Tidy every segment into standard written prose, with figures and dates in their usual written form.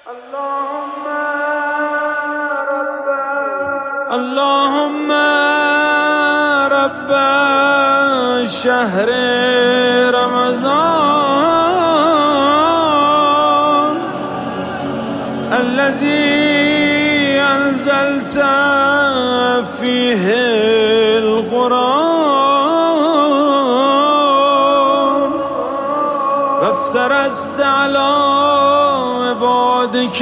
اللهم رب شهر رمضان الذي أنزلت فيه القرآن وافترست على عبادك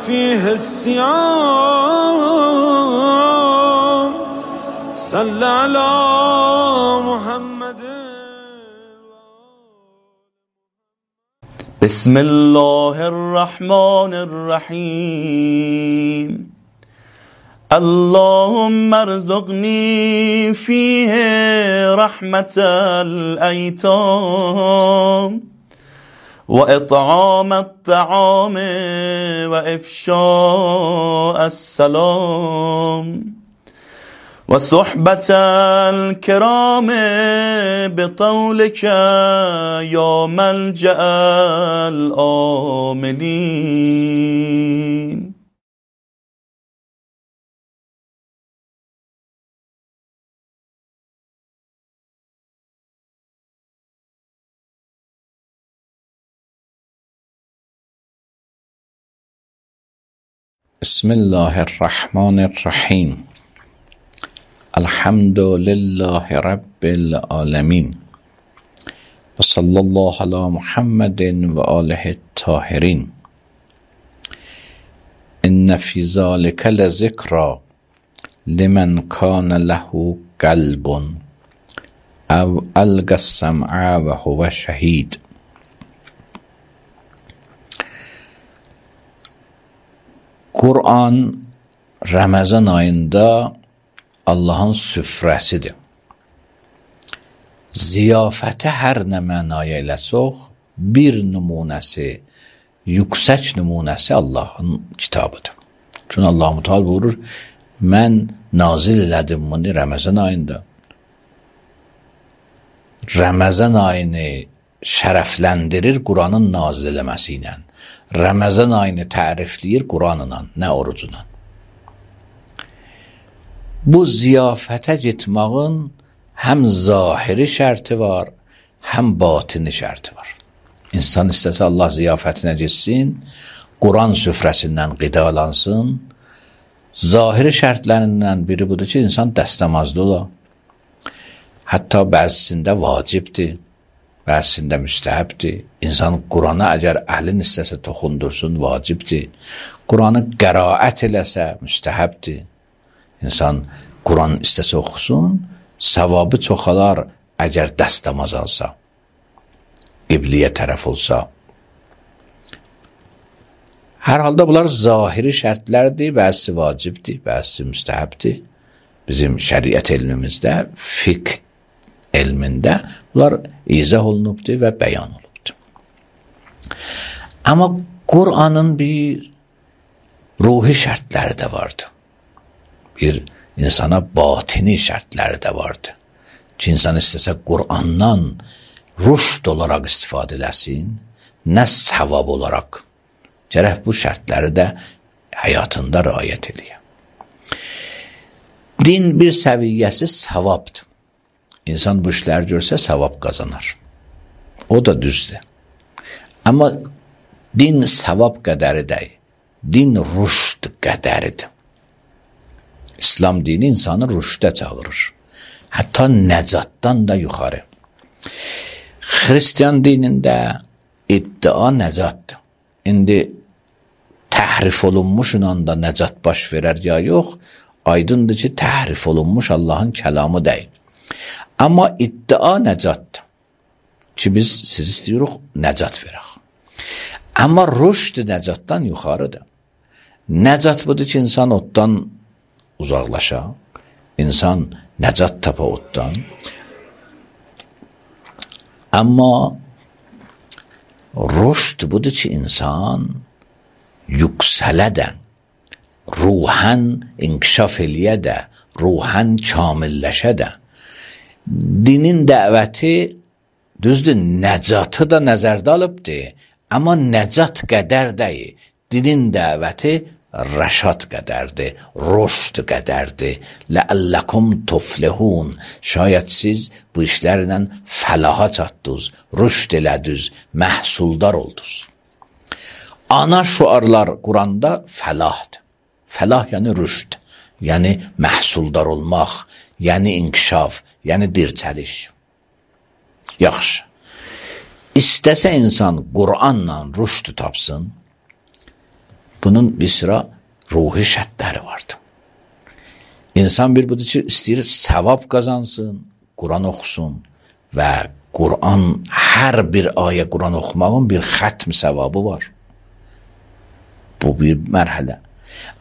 فيه الصيام صل على محمد. بسم الله الرحمن الرحيم. اللهم ارزقني فيه رحمة الأيتام وإطعام الطعام وإفشاء السلام وصحبة الكرام بطولك يا ملجأ الآملين. بسم الله الرحمن الرحیم. الحمد لله رب العالمین و صلی الله علی محمد و آله الطاهرین. ان فی ذلک لذکری لمن کان له قلب او القی السمع و هو شهید. Kur'an Ramazan ayında Allah'ın süfrəsidir. Ziyafəti hər nə mənaya eləsək, bir nümunəsi, yüksək nümunəsi Allah'ın kitabıdır. Çünki Allah-u Teala buyurur, mən nazil elədim bunu Ramazan ayında. Ramazan ayını şərəfləndirir Kur'an'ın nazil eləməsi ilə. Ramazan ayını tərifləyir Kur'anla, nə orucuna. Bu ziyafətə getmağın həm zahiri şərti var, həm batini şərti var. İnsan istəsə Allah ziyafətinə getsin, Kur'an süfrəsindən qidalansın. Zahiri şərtlərindən biri budur ki, insan dəstəmazlı ola. Hətta bəzisində vacibdir, bəzisində müstəhəbdir. İnsan Kur'an'a əgər əhlin istəsə toxundursun, vacibdir. Kur'an'ı qəraət eləsə, müstəhəbdir. İnsan Kur'an istəsə oxusun, savabı çoxalar əgər dəstəmaz alsa, qibliyə tərəf olsa. Hər halda bunlar zahiri şərtlərdir, bəzisi vacibdir, bəzisi müstəhəbdir. Bizim şəriət elmimizdə, fiqh elmində bunlar izah olunubdur və bəyan olunubdur. Amma Kur'an'ın bir ruhi şərtləri də vardı. Bir insana batini şərtləri də vardı. Ki insan istəsə Kur'an'dan rüşd olaraq istifadə eləsin, nə savab olaraq. Gərək bu şərtləri də həyatında riayət eləyək. Din bir səviyyəsi savabdır. İnsan bu işləri görsə savab qazanar. O da düzdür. Amma din savab qədəri deyil. Din rüşd qədəridir. İslam dini insanı rüşdə çağırır. Hətta nəcatdan da yuxarı. Xristiyan dinində iddia nəcatdır. İndi təhrif olunmuş anda nəcat baş verər ya yox, aydındır ki, təhrif olunmuş Allah'ın kəlamı deyil. Amma iddia nəcatdır. Ki biz siz istəyirik nəcat verək. Amma rüşd nəcatdan yuxarıdır. Nəcat budur ki, insan oddan uzaqlaşa, insan nəcat tapa oddan. Amma rüşd budur ki, insan yüksələ də, ruhən inkişaf eləyə də, ruhən kamilləşə də. Dinin dəvəti düzdür, nəcatı da nəzərdə alıbdır, Amma nəcat qədər deyil. Dinin dəvəti rəşad qədərdir, rüşd qədərdir. Ləəlləkum tuflihun. Şayət siz bu işlərlə fəlaha çatdınız, rüşd elədiniz, məhsuldar oldunuz. Ana şuarlar Quranda fəlahdır. Fəlah yəni rüşd, yəni məhsuldar olmaq, yəni inkişaf, yəni dirçəliş. Yaxşı. İstəsə insan Qur'anla rüşd tapsın, bunun bir sıra ruhi şərtləri vardır. İnsan bir budur ki, istəyir savab qazansın, Qur'an oxusun və Qur'an, hər bir ayə Qur'an oxumağın bir xətm savabı var. Bu bir mərhələ.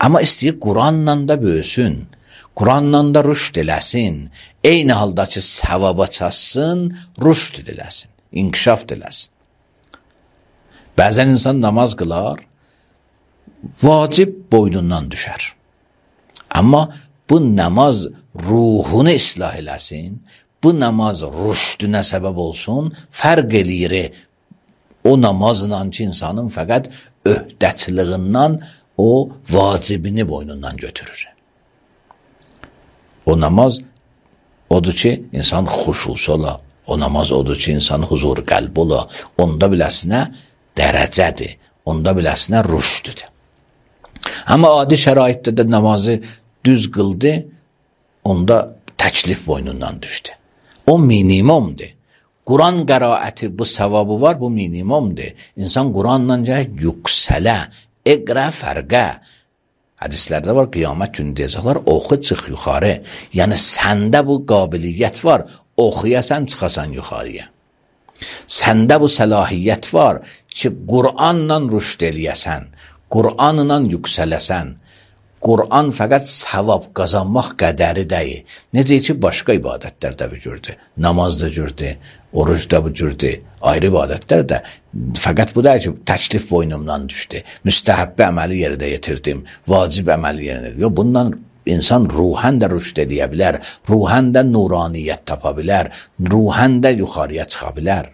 Amma istəyir Qur'anla da böyüsün, Qur'anla da rüşd eləsin, eyni halda ki, savaba çatsın, rüşd eləsin, inkişaf eləsin. Bəzən insan namaz qılar, vacib boynundan düşər. Amma bu namaz ruhunu islah eləsin, bu namaz rüşdünə səbəb olsun, fərq eləyir o namazla ki, insanın fəqət öhdəçiliğindən o vacibini boynundan götürür. O namaz odur ki, insan xuşusu ola, o namaz odur ki, insan huzur qəlb ola, onda biləsinə dərəcədir, onda biləsinə rüşdüdür. Amma adi şəraitdə də namazı düz qıldı, onda təklif boynundan düşdü. O minimumdur. Quran qəraəti bu savabı var, bu minimumdur. İnsan Quranla yüksələ, iqra fərqə. Hədislərdə var, qiyamət günü deyəcəklər, oxu çıx yuxarı. Yəni səndə bu qabiliyyət var, oxuyasan çıxasan yuxarıya. Səndə bu səlahiyyət var ki, Qur'anla rüşd eləyəsən, Qur'anla yüksələsən. Qur'an fəqət savab qazanmaq qədəri deyil. Necə ki, başqa ibadətlərdə bu cürdür. Namaz da cürdür, oruc da bu cürdür, ayrı ibadətlər də. Fəqət bu deyil ki, təklif boynumdan düşdü, müstəhəbbə əməli yerdə yetirdim, vacib əməli yerdə. Yox, bundan insan ruhən də rüşd edə bilər, ruhən də nuraniyyət tapa bilər, ruhən də yuxarıya çıxa bilər.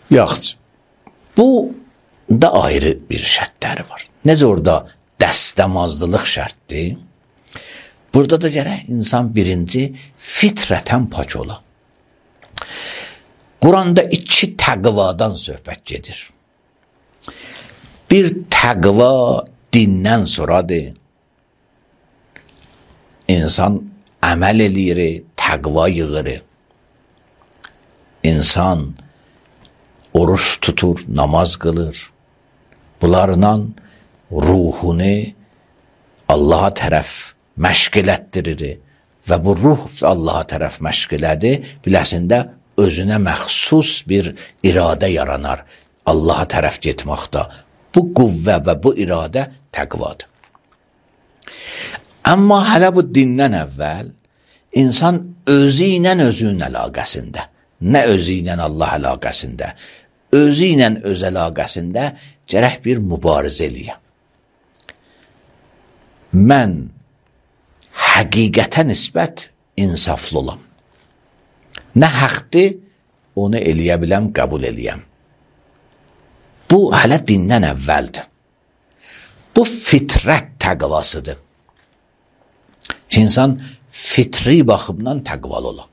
Yaxşı, bu da ayrı bir şərtləri var. Necə orada dəstəmazlılıq şərtdir? Burada da gərək insan birinci fitrətən pak ola. Quranda iki təqvadan söhbət gedir. Bir təqva dindən sonradır. İnsan əməl eləyir, təqva yığır. İnsan oruç tutur, namaz qılır. Bunlarla ruhunu Allaha tərəf məşq elətdirir və bu ruh Allaha tərəf məşq elədi, biləsində özünə məxsus bir iradə yaranar Allaha tərəf getməkdə. Bu qüvvə və bu iradə təqvadır. Amma hələ bu dindən əvvəl insan özü ilə özünün əlaqəsində, nə özü ilə Allah əlaqəsində, özü ilə öz əlaqəsində gərək bir mübarizə eləyə. Mən həqiqətə nisbət insaflı olam. Nə haqdır, onu eləyə biləm, qəbul eləyəm. Bu, hələ dindən əvvəldir. Bu, fitrət təqvasıdır. Ki, insan fitri baxımdan təqvalı ola.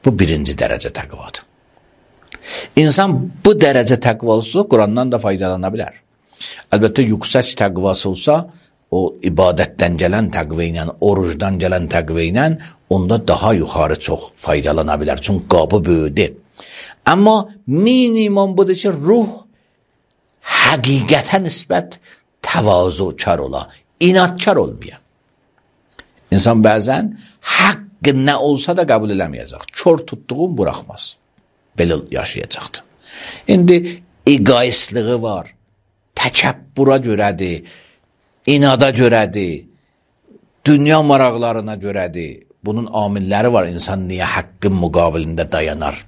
Bu, birinci dərəcə təqvadır. İnsan bu dərəcə təqvalısı Qurandan da faydalana bilər. Əlbəttə, yüksək təqvası olsa, o ibadətdən gələn təqvə ilə, orucdan gələn təqvə ilə onda daha yuxarı çox faydalana bilər. Çünki qabı böyüdür. Amma minimum budur ki, ruh həqiqətə nisbət təvazukar ola, inadkar olmaya. İnsan bəzən haqqı nə olsa da qəbul eləməyəcək. Kör tutduğun buraxmaz. Belə yaşayacaqdır. İndi egoistliği var, təkəbbura görədir, inada görədir, dünya maraqlarına görədir. Bunun amilləri var. İnsan niyə haqqın müqabilində dayanar?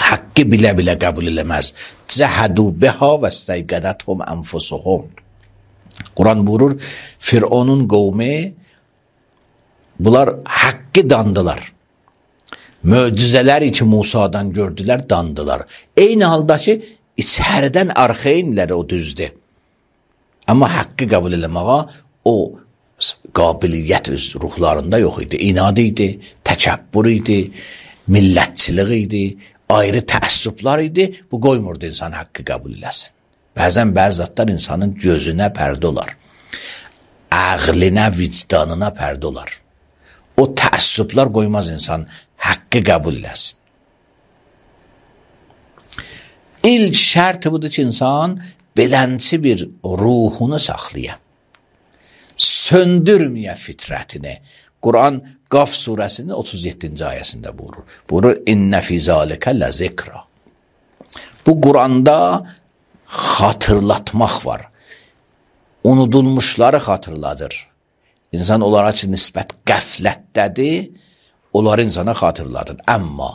Haqqı bilə-bilə qəbul eləməz. Cəhədu biha və istəygədəthum ənfusuhum. Quran buyurur, Fironun qovmi bunlar haqqı dandılar. Möcüzələri ki Musadan gördülər, dandılar. Eyni halda ki, içəridən arxeynlər o düzdür. Amma haqqı qəbul eləməyə o qabiliyyət öz ruhlarında yox idi. İnad idi, təkəbbür idi, millətçilik idi, ayrı təəssüblar idi. Bu qoymurdu insan haqqı qəbul eləsin. Bəzən bəzi zatlar insanın gözünə pərdə olar. Ağlına, vicdanına pərdə olar. O təəssüblar qoymaz insan haqqı qəbul eləsin. İlk şərt budur ki, insan belənçi bir ruhunu saxlaya. Söndürməyə fitrətini. Quran Qaf surəsinin 37-ci ayəsində buyurur. Buyurur, İnnə fī zâlikə ləzikra. Bu Quranda xatırlatmaq var. Unudulmuşları xatırladır. İnsan onlara ki, nisbət qəflətdədir, onları insana xatırladır. Amma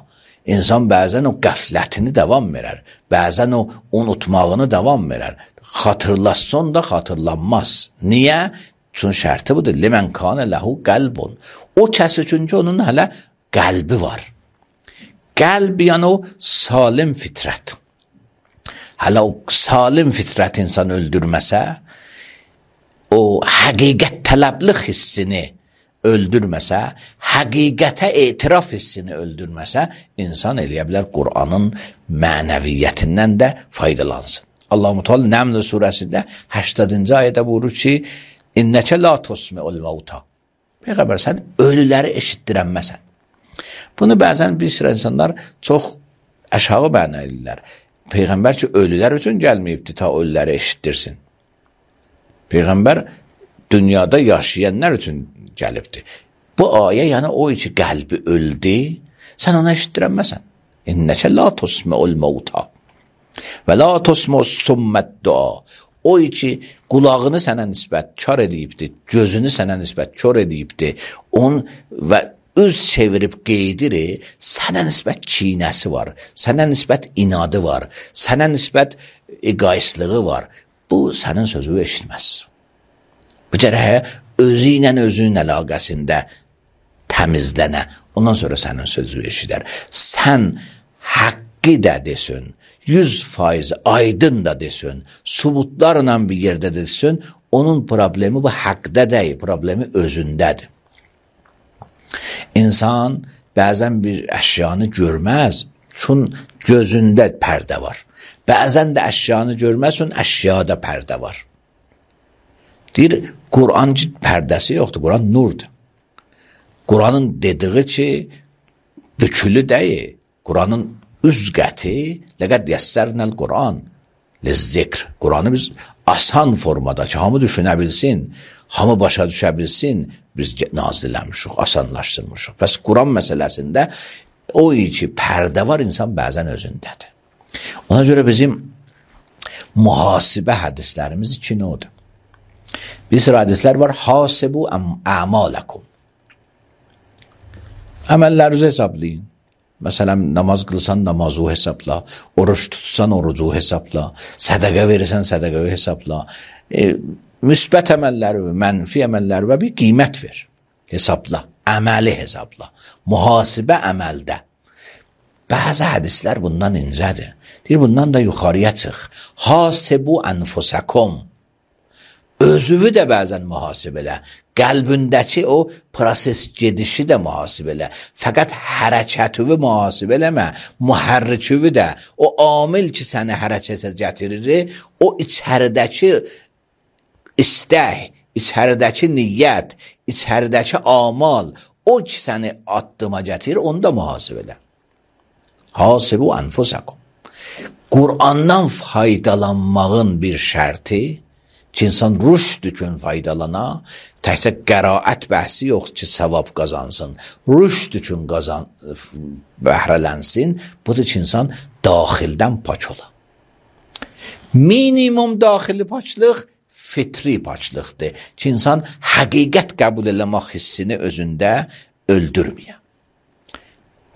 insan bəzən o qəflətini davam verər, bəzən o unutmağını davam verər. Xatırlasın da xatırlanmaz. Niyə? Çünki şərti budur. Limən kanə ləhu qəlbun. O kəs üçün ki, onun hələ qəlbi var. Qəlb yəni o salim fitrət. Hələ o salim fitrət insan öldürməsə, o həqiqət tələblik hissini öldürməsə, həqiqətə etiraf hissini öldürməsə, insan eləyə bilər Qur'anın mənəviyyətindən də faydalansın. Allah-u Teala Nəml surəsində 80-ci ayədə buyurur ki, İnnəkə la tusmi'ul mauta. Peyğəmbər, sən ölüləri eşitdirənməsən. Bunu bəzən bir sıra insanlar çox aşağı bəna edirlər. Peyğəmbər ki, ölülər üçün gəlməyibdi ta ölüləri eşitdirsin. Peyğəmbər dünyada yaşayanlar üçün gəlibdi. Bu ayə yəni o ki, qəlbi öldü, sən ona eşitdirənməsən. İnnəkə la tusmi'ul mauta və la tusmi'us summəd dua. O ki, qulağını sənə nisbət kar edibdi, gözünü sənə nisbət kör edibdi, və öz çevirib qeydir, sənə nisbət kinəsi var, sənə nisbət inadı var, sənə nisbət egoistliği var. Bu, sənin sözü eşitməz. Bu cərəyə özü ilə özünün əlaqəsində təmizlənə, ondan sonra sənin sözü eşidər. Sən haqqı da desin, 100% aydın da desin, subutlarla bir yerdə desin, onun problemi bu haqqda deyil, problemi özündədir. İnsan bəzən bir əşyanı görməz, çünki gözündə pərdə var. Bəzən də əşyanı görməz, çünki əşyada pərdə var. Deyir, Quran pərdəsi yoxdur, Quran nurdur. Quranın dediği ki, bükülü deyil, Quranın üzqəti, ləqəd yəssərnəl Quran, lizzikr. Quranı biz asan formada ki, hamı düşünə bilsin, hamı başa düşə bilsin, biz nazilləmişik, asanlaşdırmışıq. Bəs Quran məsələsində o ki, pərdə var, insan bəzən özündədir. Ona görə bizim mühasibə hədislərimiz iki növdür. Bir sıra hədislər var, hasibu əmalakum. Əməllərinizi hesablayın. Məsələn, namaz qılsan namazı hesabla, oruç tutsan orucu hesabla, sədəqə verirsən sədəqəyi hesabla, müsbət əməlləri və mənfi əməlləri və bir qiymət ver, hesabla, əməli hesabla, mühasibə əməldə. Bəzi hədislər bundan incədir. Deyir, bundan da yuxarıya çıx. Hasibu ənfusakum. Özüvü də bəzən mühasibələ, qəlbindəki o proses gedişi də mühasibələ, fəqət hərəkətüvü mühasibələmə, mühərriküvü də, o amil ki səni hərəkətə gətirir, o içəridəki istək, içəridəki niyyət, içəridəki amal, o ki səni addıma gətirir, onu da mühasibələ. Hasibu ənfusakum. Qur'andan faydalanmağın bir şərti, ki, insan rüşd üçün faydalana, təkcə qəraət bəhsi yox ki, savab qazansın, rüşd üçün bəhrələnsin, budur ki, insan daxildən pak ola. Minimum daxili paklıq fitri paklıqdır ki, insan həqiqət qəbul eləmək hissini özündə öldürməyə.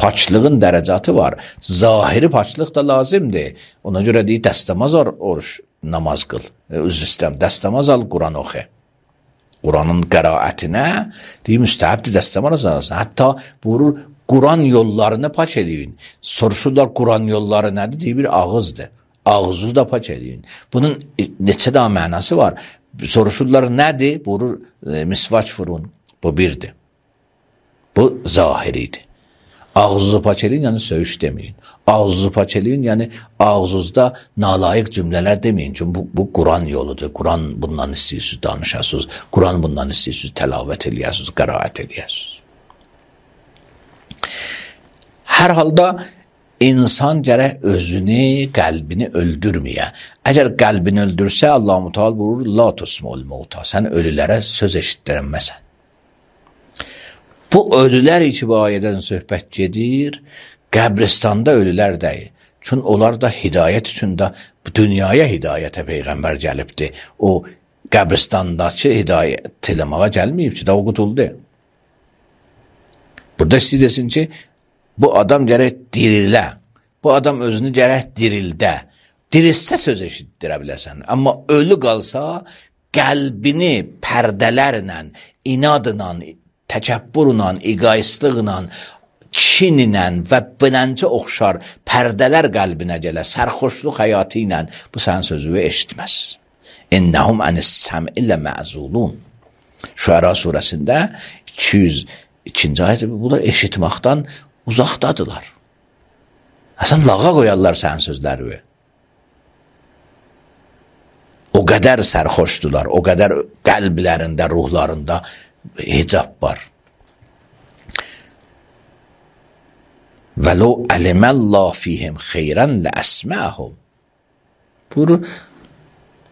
Paklığın dərəcatı var, zahiri paklıq da lazımdır. Ona görə deyir, dəstəmaz oruç, namaz qıl, üzr istəyirəm, dəstəmaz al, Quran oxu. Quranın qəraətinə deyir, müstəhəbdir dəstəmaz alasın. Hətta buyurur, Quran yollarını paç eləyin. Soruşurlar Quran yolları nədir? Deyir, bir ağızdır. Ağzınızı da paç eləyin. Bunun neçə daha mənası var? Soruşurlar nədir? Buyurur, misvaç vurun. Bu birdir. Bu zahiridir. Ağzınızı paç eləyin, yəni söyüş deməyin. Ağzınızı paç eləyin, yəni ağzınızda nalayiq cümlələr deməyin. Çünki bu Quran yoludur. Quran bundan istəyirsiniz, danışasınız. Quran bundan istəyirsiniz, təlavət eləyəsiniz, qəraət eləyəsiniz. Hər halda insan gərək özünü, qəlbini öldürməyə. Əgər qəlbini öldürsə, Allah-u Teala buyurur, la tusmul mauta. Sən ölülərə söz eşitdirənməsən. Bu ölülər ki, bu ayədən söhbət gedir, qəbristanda ölülər deyil. Çünki onlar da hidayət üçün də dünyaya hidayətə Peyğəmbər gəlibdir. O qəbristandakı hidayət eləməyə gəlməyib ki, da o qutuldu. Burada istəyir desin ki, bu adam gərək dirilə, bu adam özünü gərək dirildə. Dirilsə söz eşitdirə biləsən. Amma ölü qalsa, qəlbini pərdələrlə, inadla, təkəbbürlə, egoistliklə, kinlə və biləncə oxşar pərdələr qəlbinə gələ, sərxoşluq həyatı ilə bu sənin sözünü eşitməz. İnnəhum ənis-səm'i ləməzulun. Şüəra surəsində 202-ci ayət, bu da eşitməkdən uzaqdadılar. Sən lağa qoyarlar sənin sözləri. O qədər sərxoşdular, o qədər qəlblərində, ruhlarında hicab var. وَلَوْ عَلِمَ اللّٰهُ فِيهِمْ خَيْرًا لَأَسْمَعَهُمْ. Buyurur,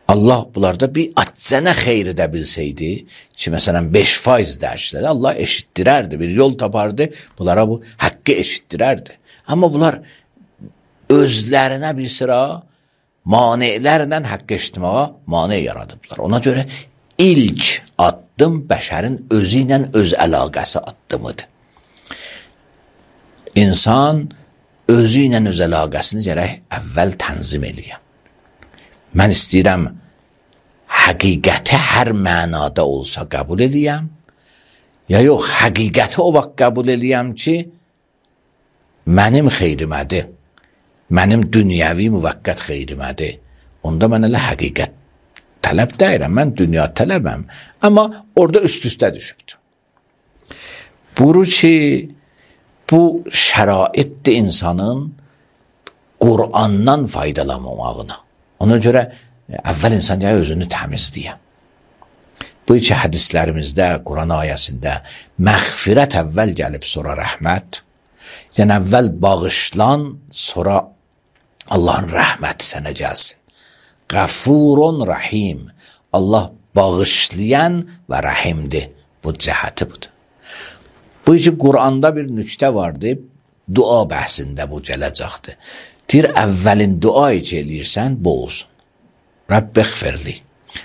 Allah bunlarda bir aczənə xeyri də bilsəydi, ki, məsələn, 5% dərşləri, Allah eşitdirərdi, bir yol tapardı, bunlara bu haqqı eşitdirərdi. Amma bunlar özlərinə bir sıra manelərlə haqqı eşitməyə mane yaradıblar. Ona görə ilk addım bəşərin özü ilə öz əlaqəsi addımıdır. İnsan özü ilə öz əlaqəsini gərək əvvəl tənzim eləyəm. Mən istəyirəm həqiqəti hər mənada olsa qəbul eləyəm, ya yox, həqiqəti o vaxt qəbul eləyəm ki, mənim xeyrimədir, mənim dünyəvi müvəqqət xeyrimədir. Onda mən elə həqiqət tələb deyirəm, mən dünya tələbəm. Amma orada üst-üstə düşübdür. Buyurur ki, bu şəraitdir insanın Qur'andan faydalanmamağına. Ona görə əvvəl insan ya özünü təmizləyəm. Bu iki hədislərimizdə, Quran ayəsində məğfirət əvvəl gəlib, sonra rəhmət. Yəni əvvəl bağışlan, sonra Allahın rəhməti sənə gəlsin. Qəfurun rəhim. Allah bağışlayan və rəhimdir. Bu cəhəti budur. Bu iki Quranda bir nüktə vardı, dua bəhsində bu gələcəkdir. Deyir, əvvəlin dua içi eləyirsən, bu olsun. Rəbbə xfirli.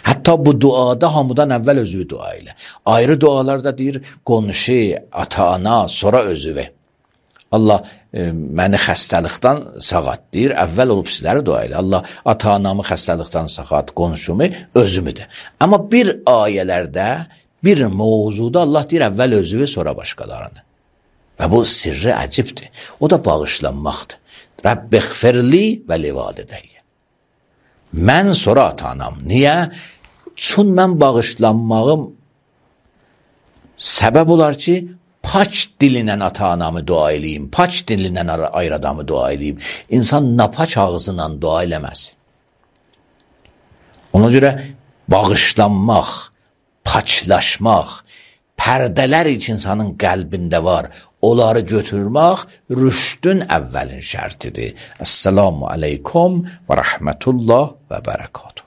Hətta bu duada hamıdan əvvəl özü dua elə. Ayrı dualarda deyir, qonşu, ata-ana, sonra özüvə. Allah məni xəstəlikdən sağat deyir, əvvəl olub sizləri dua elə. Allah ata-anamı xəstəlikdən sağat, qonşumu, özümüdür. Amma bir ayələrdə, bir mövzuda Allah deyir, əvvəl özüvə, sonra başqalarını. Və bu sirri əcibdir. O da bağışlanmaqdır. Rəbbə xfirli və livadidəyyə. Mən sonra ata-anam. Niyə? Çün mən bağışlanmağım səbəb olar ki, paç dilinən ata-anamı dua eləyim, paç dilinən ayrı adamı dua eləyim. İnsan napaç ağzıyla dua eləməz. Ona görə bağışlanmaq, paçlaşmaq, pərdələr için insanın qəlbində var, onları götürmək rüşdün əvvəlin şərtidir. Esselamu aleykum və rəhmətullah və bərəkatuhu.